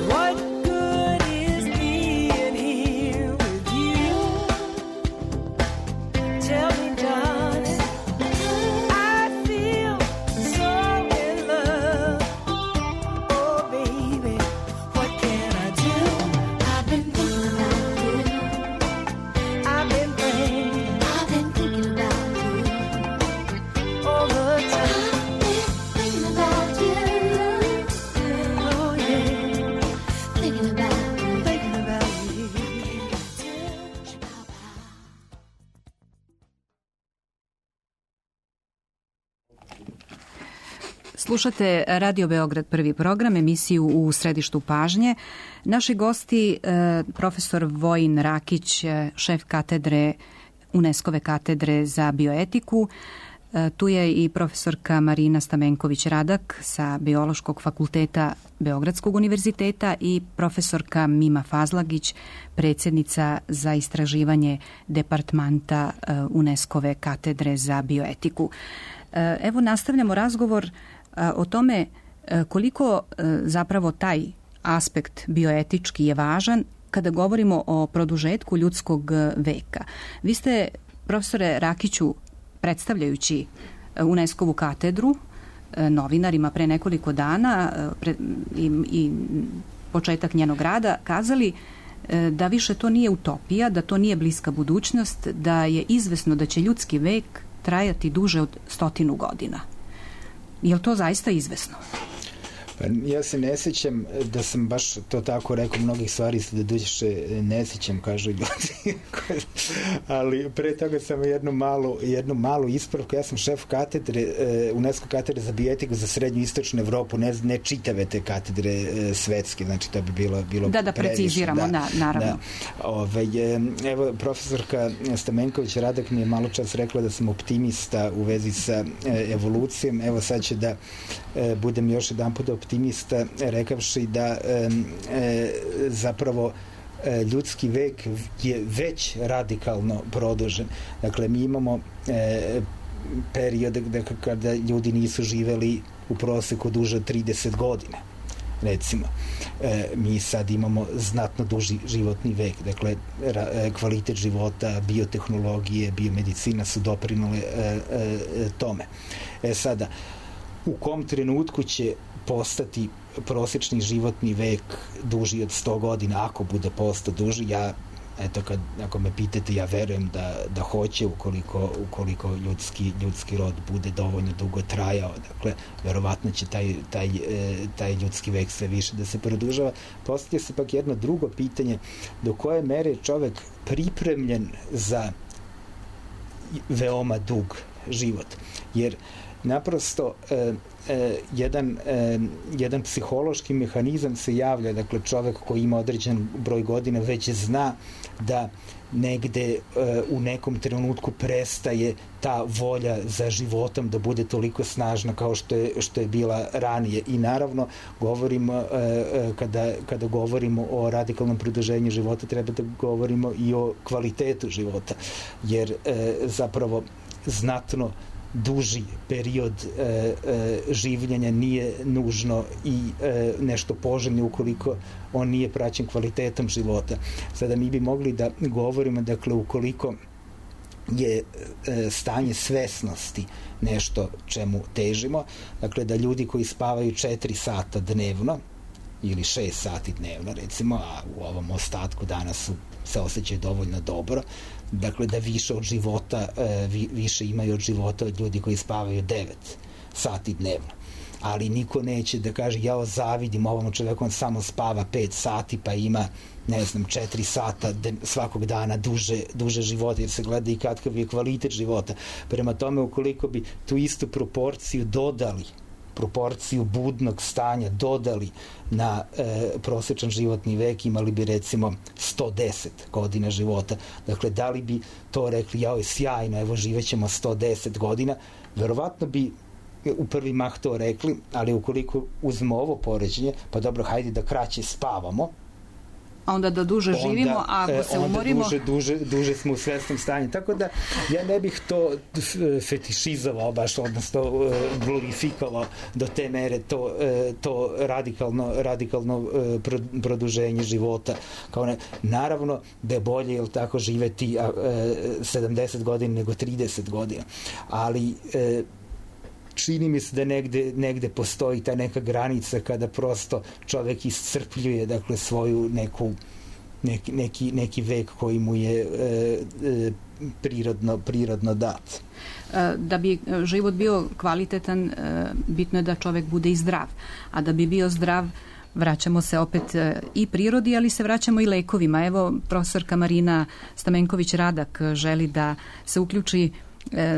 What good is being here with you? Tell me, darling. I feel so in love. Oh, baby, what can I do? I've been thinking about you. I've been praying. I've been thinking about you all the time. Thinking about you. Oh, yeah. Thinking about you. Thinking about you.
Slušate Radio Beograd prvi program, emisiju U središtu pažnje. Naši gosti, e, profesor Vojin Rakić, e, šef katedre UNESCO-ve katedre za bioetiku. E, tu je i profesorka Marina Stamenković-Radak sa Biološkog fakulteta Beogradskog univerziteta i profesorka Mima Fazlagić, predsjednica za istraživanje departmanta e, UNESCO-ve katedre za bioetiku. E, evo nastavljamo razgovor o tome koliko zapravo taj aspekt bioetički je važan kada govorimo o produžetku ljudskog veka. Vi ste, profesore Rakiću, predstavljajući UNESCO-vu katedru novinarima pre nekoliko dana pre, i, i početak njenog rada kazali da više to nije utopija, da to nije bliska budućnost, da je izvesno da će ljudski vek trajati duže od stotinu godina. Je li to zaista izvesno?
Pa ja se ne sjećam da sam baš to tako rekao, mnogih stvari se da duše ne sjećam, kažu ljudi. Ali pre toga sam jednu malu, jednu malu ispravku. Ja sam šef katedre, UNESCO katedre za bioetiku za srednju i istočnu Evropu, ne, ne čitave te katedre svetske, znači to bi bilo, bilo
da, da previše. Preciziramo, da, naravno. Da. Ove,
evo, profesorka Stamenković-Radak mi je malo čas rekla da sam optimista u vezi sa evolucijom. Evo sad će da budem još jedan put optimista, rekavši da e, e, zapravo e, ljudski vek je već radikalno produžen. Dakle, mi imamo e, periode kada ljudi nisu živeli u proseku duže od trideset godina. Recimo, e, mi sad imamo znatno duži životni vek. Dakle, ra, e, kvalitet života, biotehnologije, biomedicina su doprinule e, e, tome. E sada, u kom trenutku će postati prosječni životni vek duži od sto godina, ako bude postao duži, ja, eto, kad, ako me pitate, ja verujem da, da hoće, ukoliko, ukoliko ljudski, ljudski rod bude dovoljno dugo trajao. Dakle, verovatno će taj, taj, taj ljudski vek sve više da se produžava. Postavlja se pak jedno drugo pitanje, do koje mere je čovek pripremljen za veoma dug život. Jer naprosto e, e, jedan, e, jedan psihološki mehanizam se javlja, dakle čovek koji ima određen broj godina već zna da negde e, u nekom trenutku prestaje ta volja za životom da bude toliko snažna kao što je, što je bila ranije. I naravno govorimo e, kada, kada govorimo o radikalnom produženju života, treba da govorimo i o kvalitetu života, jer e, zapravo znatno duži period e, e, življenja nije nužno i e, nešto poželjno ukoliko on nije praćen kvalitetom života. Sada mi bi mogli da govorimo, dakle, ukoliko je stanje svesnosti nešto čemu težimo. Dakle, da ljudi koji spavaju četiri sata dnevno ili šest sati dnevno, recimo, a u ovom ostatku dana su, se osjećaju dovoljno dobro, dakle, da više od života, vi, više imaju od života od ljudi koji spavaju devet sati dnevno. Ali niko neće da kaže, ja zavidim ovom čoveku, on samo spava pet sati pa ima, ne znam, četiri sata svakog dana duže, duže života, jer se gleda i kakav je kvalitet života. Prema tome, ukoliko bi tu istu proporciju dodali, proporciju budnog stanja dodali na e, prosječan životni vek, imali bi recimo sto deset godina života. Dakle, da li bi to rekli, jao je sjajno, evo živećemo sto deset godina, verovatno bi u prvi mah to rekli, ali ukoliko uzmemo ovo poređenje, pa dobro, hajde da kraće spavamo,
a onda da duže onda, živimo, a ako se
onda
umorimo...
Duže, duže, duže smo u svesnom stanju. Tako da ja ne bih to fetišizovao baš, odnosno glorifikovao do te mere to, to radikalno, radikalno produženje života. Kao ne, naravno da je bolje, jel tako, živeti sedamdeset godina nego trideset godina. Ali čini mi se da negde, negde postoji ta neka granica kada prosto čovek iscrpljuje, dakle, svoju neku neki, neki, neki vek koji mu je e, e, prirodno, prirodno dat.
Da bi život bio kvalitetan, bitno je da čovek bude i zdrav. A da bi bio zdrav, vraćamo se opet i prirodi, ali se vraćamo i lekovima. Evo, profesorka Marina Stamenković-Radak želi da se uključi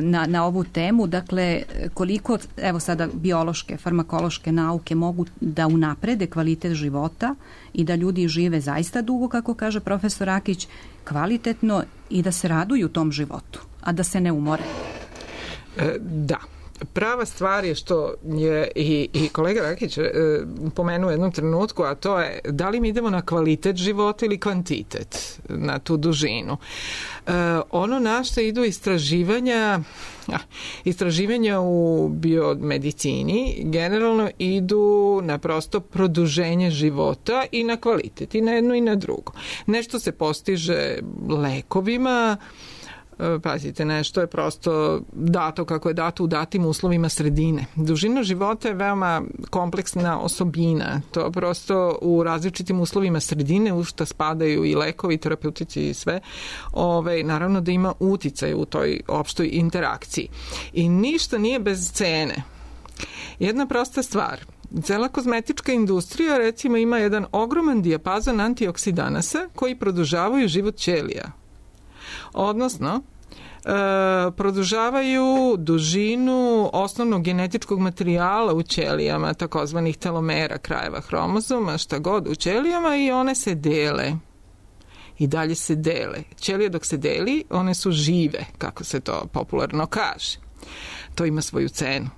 Na, na ovu temu, dakle, koliko, evo sada, biološke, farmakološke nauke mogu da unaprede kvalitet života i da ljudi žive zaista dugo, kako kaže profesor Rakić, kvalitetno i da se raduju tom životu, a da se ne umore.
E, da. Prava stvar je što je i, i kolega Rakić e, pomenuo u jednom trenutku, a to je da li mi idemo na kvalitet života ili kvantitet, na tu dužinu. E, ono na što idu istraživanja, istraživanja u biomedicini generalno idu na prosto produženje života i na kvalitet, i na jedno i na drugo. Nešto se postiže lekovima, pazite, nešto je prosto dato kako je dato u datim uslovima sredine. Dužina života je veoma kompleksna osobina. To prosto u različitim uslovima sredine, u što spadaju i lekovi, terapeutici i sve, ove, naravno da ima uticaj u toj opštoj interakciji. I ništa nije bez cene. Jedna prosta stvar. Cela kozmetička industrija, recimo, ima jedan ogroman dijapazon antioksidanasa koji produžavaju život ćelija. Odnosno, e, produžavaju dužinu osnovnog genetičkog materijala u ćelijama, takozvanih telomera, krajeva hromozoma, šta god u ćelijama, i one se dele. I dalje se dele. Ćelije dok se deli, one su žive, kako se to popularno kaže. To ima svoju cenu.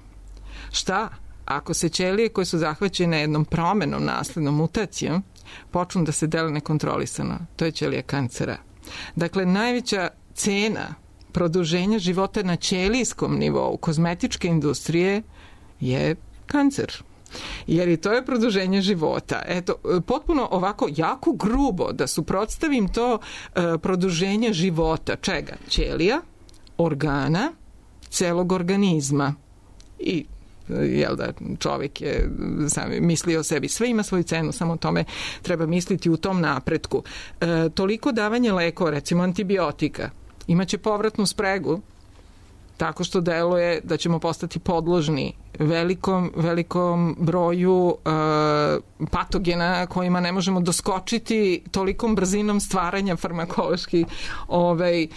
Šta? Ako se ćelije koje su zahvaćene jednom promenom, naslednom mutacijom, počnu da se dele nekontrolisano, to je ćelija kancera. Dakle, najveća cena produženja života na ćelijskom nivou kozmetičke industrije je kancer. Jer i to je produženje života. Eto, potpuno ovako jako grubo da suprotstavim to e, produženje života. Čega? Ćelija, organa, celog organizma. I jel da, čovjek je sam mislio o sebi. Sve ima svoju cenu, samo o tome treba misliti u tom napretku. E, toliko davanje lekova, recimo antibiotika, imaće povratnu spregu tako što deluje da ćemo postati podložni velikom, velikom broju e, patogena kojima ne možemo doskočiti tolikom brzinom stvaranja farmakoloških ovaj, e,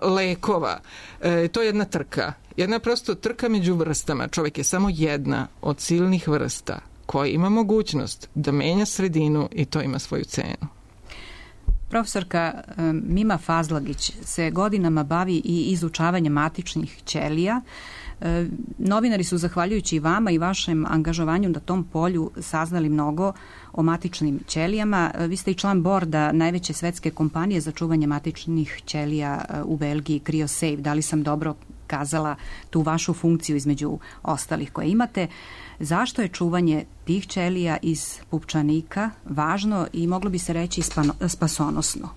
lekova. E, to je jedna trka. Jedna prosto trka među vrstama. Čovjek je samo jedna od silnih vrsta koja ima mogućnost da menja sredinu i to ima svoju cenu.
Profesorka Mima Fazlagić se godinama bavi i izučavanjem matičnih ćelija. Novinari su, zahvaljujući vama i vašem angažovanju na tom polju, saznali mnogo o matičnim ćelijama. Vi ste i član borda najveće svetske kompanije za čuvanje matičnih ćelija u Belgiji, CryoSafe. Da li sam dobro kazala tu vašu funkciju između ostalih koje imate? Zašto je čuvanje tih ćelija iz pupčanika važno i moglo bi se reći spasonosno?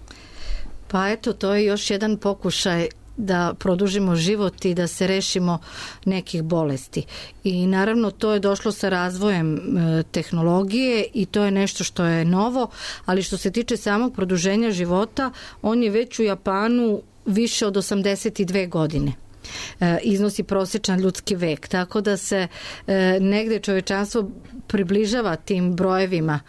Pa eto, to je još jedan pokušaj da produžimo život i da se rešimo nekih bolesti. I naravno to je došlo sa razvojem e, tehnologije i to je nešto što je novo, ali što se tiče samog produženja života, on je već u Japanu više od osamdeset dve godine. E, iznosi prosječan ljudski vek, tako da se e, negde čovečanstvo približava tim brojevima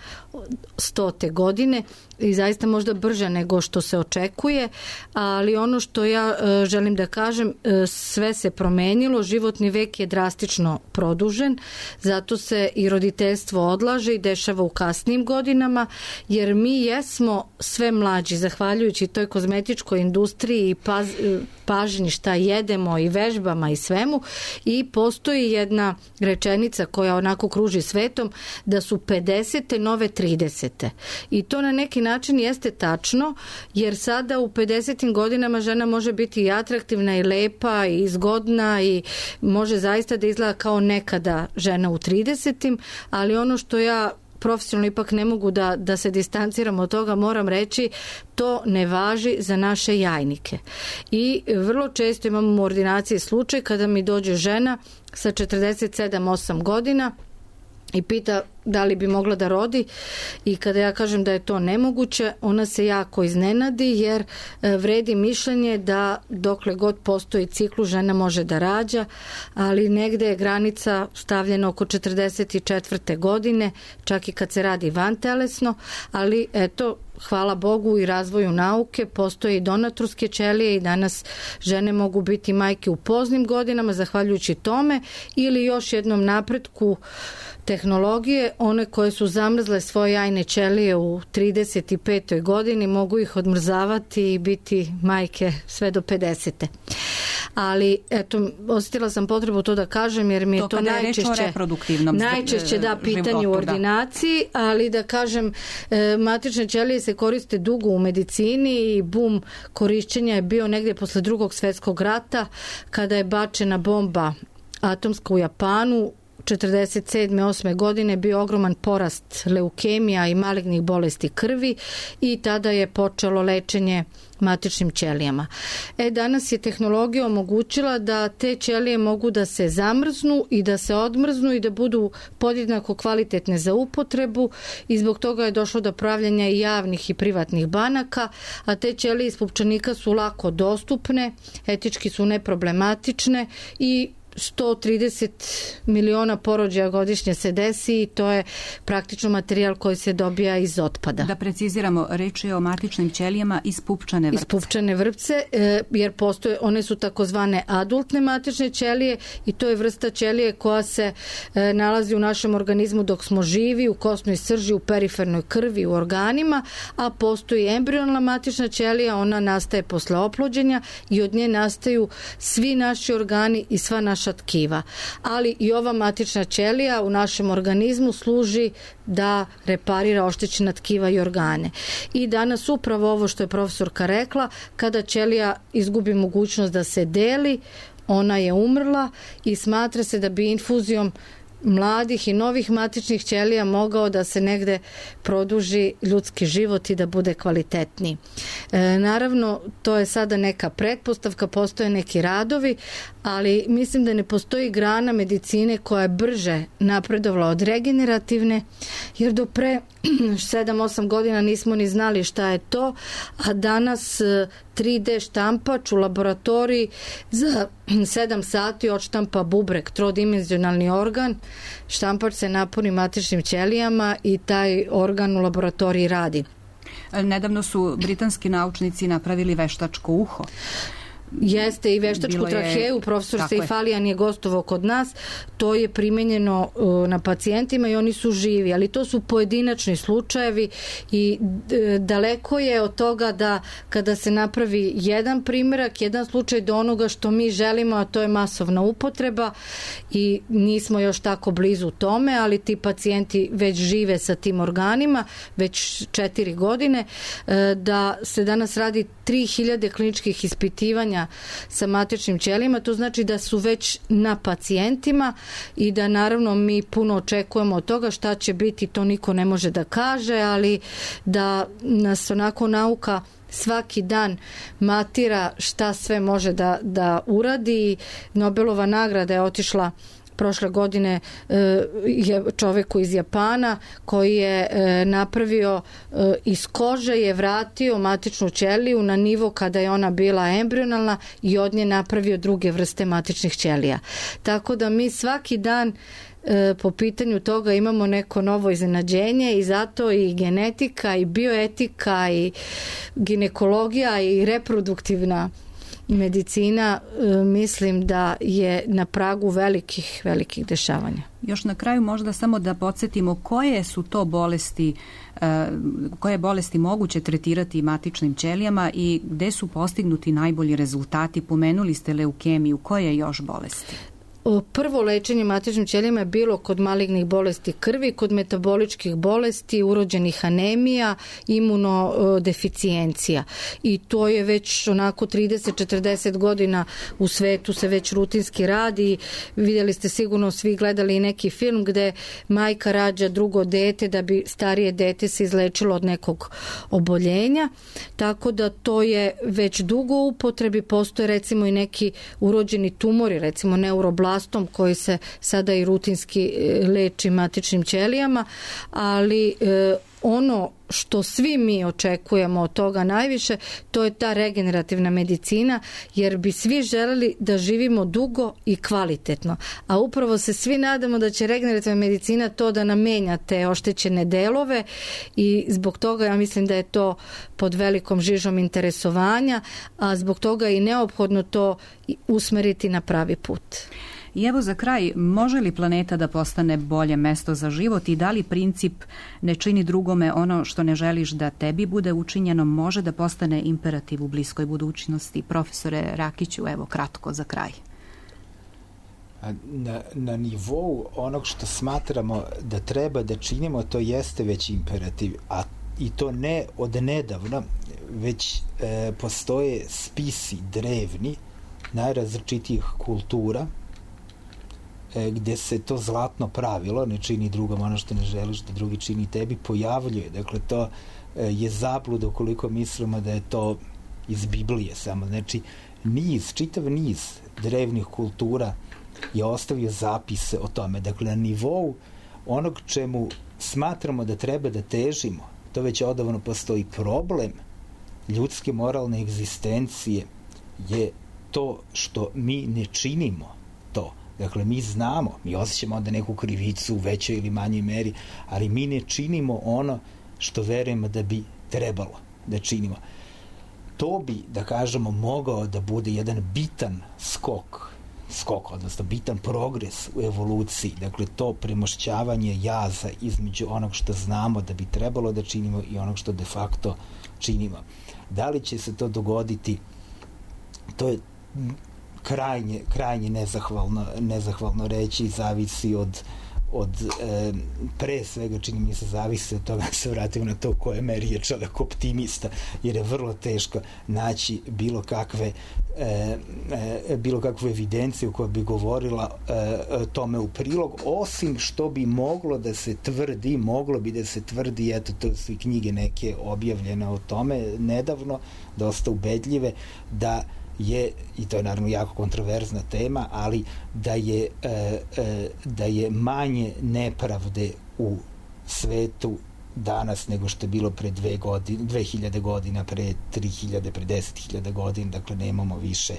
stote godine i zaista možda brže nego što se očekuje, ali ono što ja e, želim da kažem, e, sve se promenilo, životni vek je drastično produžen, zato se i roditeljstvo odlaže i dešava u kasnim godinama, jer mi jesmo sve mlađi, zahvaljujući toj kozmetičkoj industriji i paz, pažnji šta jedemo i vežbama i svemu, i postoji jedna rečenica koja onako kruži svetom, da su pedesete nove tridesete. I to na neki način jeste tačno, jer sada u pedesetim godinama žena može biti i atraktivna i lepa i zgodna i može zaista da izgleda kao nekada žena u tridesetim, ali ono što ja profesionalno ipak ne mogu da, da se distanciram od toga, moram reći, to ne važi za naše jajnike. I vrlo često imamo u ordinaciji slučaj kada mi dođe žena sa četrdeset sedam osam godina i pita da li bi mogla da rodi, i kada ja kažem da je to nemoguće, ona se jako iznenadi, jer vredi mišljenje da dokle god postoji ciklus žena može da rađa, ali negde je granica stavljena oko četrdeset četvrte godine, čak i kad se radi vantelesno, ali eto, hvala Bogu i razvoju nauke, postoje i donatorske ćelije i danas žene mogu biti majke u poznim godinama zahvaljujući tome, ili još jednom napretku tehnologije, one koje su zamrzle svoje jajne ćelije u trideset petoj godini mogu ih odmrzavati i biti majke sve do pedesete. Ali eto, osjetila sam potrebu to da kažem, jer mi je to, to najčešće najčešće da pitanje u ordinaciji, da. Ali da kažem, matične ćelije se koriste dugo u medicini i bum korišćenja je bio negdje posle Drugog svjetskog rata, kada je bačena bomba atomska u Japanu. četrdeset sedme osme godine bio ogroman porast leukemija i malignih bolesti krvi i tada je počelo lečenje matičnim ćelijama. E, danas je tehnologija omogućila da te ćelije mogu da se zamrznu i da se odmrznu i da budu podjednako kvalitetne za upotrebu, i zbog toga je došlo do pravljanja i javnih i privatnih banaka, a te ćelije iz pupčanika su lako dostupne, etički su neproblematične i sto trideset miliona porođaja godišnje se desi i to je praktično materijal koji se dobija iz otpada.
Da preciziramo, reč je o matičnim ćelijama iz pupčane vrpce.
Iz pupčane vrpce, jer postoje, one su takozvane adultne matične ćelije i to je vrsta ćelije koja se nalazi u našem organizmu dok smo živi, u kosnoj srži, u perifernoj krvi, u organima, a postoji embrionalna matična ćelija, ona nastaje posle oplođenja i od nje nastaju svi naši organi i sva naša tkiva. Ali i ova matična ćelija u našem organizmu služi da reparira oštećena tkiva i organe. I danas upravo ovo što je profesorka rekla, kada ćelija izgubi mogućnost da se deli, ona je umrla i smatra se da bi infuzijom mladih i novih matičnih ćelija mogao da se negde produži ljudski život i da bude kvalitetniji. E, naravno, to je sada neka pretpostavka, postoje neki radovi, ali mislim da ne postoji grana medicine koja je brže napredovala od regenerativne, jer do pre sedam osam godina nismo ni znali šta je to, a danas tri de štampač u laboratoriji za sedam sati odštampa bubreg, trodimenzionalni organ, štampač se napuni matičnim ćelijama i taj organ u laboratoriji radi.
Nedavno su britanski naučnici napravili veštačko uho.
Jeste, i veštačku je, traheju, profesor Sejfalijan je gostovao kod nas, to je primenjeno uh, na pacijentima i oni su živi, ali to su pojedinačni slučajevi i d- daleko je od toga da kada se napravi jedan primjerak, jedan slučaj do onoga što mi želimo, a to je masovna upotreba, i nismo još tako blizu tome, ali ti pacijenti već žive sa tim organima već četiri godine, uh, da se danas radi tri hiljade kliničkih ispitivanja rađanja sa matičnim ćelijama, to znači da su već na pacijentima i da naravno mi puno očekujemo od toga. Šta će biti, to niko ne može da kaže, ali da nas onako nauka svaki dan matira šta sve može da, da uradi. Nobelova nagrada je otišla prošle godine je čoveku iz Japana koji je napravio iz kože, je vratio matičnu ćeliju na nivo kada je ona bila embrionalna i od nje napravio druge vrste matičnih ćelija. Tako da mi svaki dan po pitanju toga imamo neko novo iznenađenje i zato i genetika i bioetika i ginekologija i reproduktivna medicina mislim da je na pragu velikih, velikih dešavanja.
Još na kraju možda samo da podsjetimo koje su to bolesti, koje bolesti moguće tretirati matičnim ćelijama i gde su postignuti najbolji rezultati. Pomenuli ste leukemiju, koje još bolesti?
Prvo lečenje matičnim ćelijama je bilo kod malignih bolesti krvi, kod metaboličkih bolesti, urođenih anemija, imunodeficijencija. I to je već onako trideset do četrdeset godina u svetu se već rutinski radi. Vidjeli ste sigurno svi gledali i neki film gde majka rađa drugo dete da bi starije dete se izlečilo od nekog oboljenja. Tako da to je već dugo u upotrebi. Postoje recimo i neki urođeni tumori, recimo neuroblastom koji se sada i rutinski leči matičnim ćelijama, ali e, ono što svi mi očekujemo od toga najviše, to je ta regenerativna medicina, jer bi svi želeli da živimo dugo i kvalitetno. A upravo se svi nadamo da će regenerativna medicina to da nam menja te oštećene delove i zbog toga ja mislim da je to pod velikom žižom interesovanja, a zbog toga je i neophodno to usmeriti na pravi put.
I evo za kraj, može li planeta da postane bolje mesto za život i da li princip ne čini drugome ono što ne želiš da tebi bude učinjeno može da postane imperativ u bliskoj budućnosti? Profesore Rakiću, evo kratko za kraj.
Na, na nivou onog što smatramo da treba da činimo, to jeste već imperativ, a i to ne od nedavno, već e, postoje spisi drevni najrazličitijih kultura gde se to zlatno pravilo, ne čini drugom ono što ne želiš da drugi čini tebi, pojavljuje. Dakle, to je zabluda ukoliko mislimo da je to iz Biblije samo. Znači, niz, čitav niz drevnih kultura je ostavio zapise o tome. Dakle, na nivou onog čemu smatramo da treba da težimo, to već odavno postoji. Problem ljudske moralne egzistencije je to što mi ne činimo to. Dakle, mi znamo, mi osjećamo onda neku krivicu u većoj ili manjoj meri, ali mi ne činimo ono što verujemo da bi trebalo da činimo. To bi, da kažemo, mogao da bude jedan bitan skok, skok, odnosno bitan progres u evoluciji. Dakle, to premošćavanje jaza između onog što znamo da bi trebalo da činimo i onog što de facto činimo. Da li će se to dogoditi, to je krajnje, krajnje nezahvalno, nezahvalno reći, zavisi od, od e, pre svega čini mi se zavisi od toga, se vratimo na to koje meri je čovjek optimista, jer je vrlo teško naći bilo kakve e, e, bilo kakvu evidenciju koja bi govorila e, tome u prilog, osim što bi moglo da se tvrdi, moglo bi da se tvrdi, eto to su i knjige neke objavljene o tome nedavno, dosta ubedljive, da je, i to je naravno jako kontroverzna tema, ali da je, e, e, da je manje nepravde u svetu danas nego što je bilo pre dve godine, dve hiljade godina, pre tri hiljade, pre deset hiljada godina, dakle nemamo više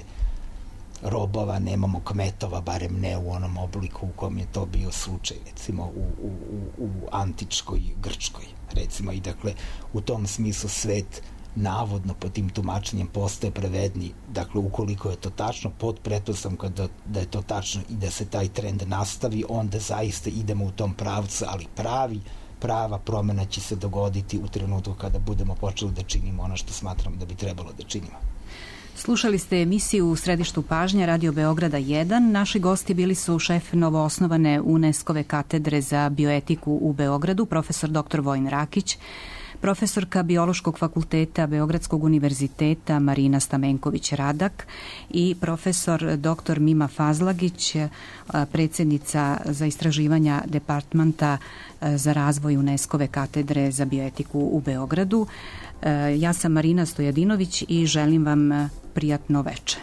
robova, nemamo kmetova, barem ne u onom obliku u kom je to bio slučaj, recimo u, u, u, u antičkoj Grčkoj, recimo, i dakle u tom smislu svet navodno po tim tumačenjem postaje pravedni. Dakle, ukoliko je to tačno, pod pretpostavkom da, da je to tačno i da se taj trend nastavi, onda zaista idemo u tom pravcu, ali pravi, prava promena će se dogoditi u trenutku kada budemo počeli da činimo ono što smatramo da bi trebalo da činimo.
Slušali ste emisiju U središtu pažnje Radio Beograda jedan. Naši gosti bili su šef novoosnovane UNESCO-ve katedre za bioetiku u Beogradu, profesor doktor Vojin Rakić, profesorka Biološkog fakulteta Beogradskog univerziteta Marina Stamenković-Radak i profesor doktor Mima Fazlagić, predsjednica za istraživanja Departmenta za razvoj UNESCO-ve katedre za bioetiku u Beogradu. Ja sam Marina Stojadinović i želim vam prijatno veče.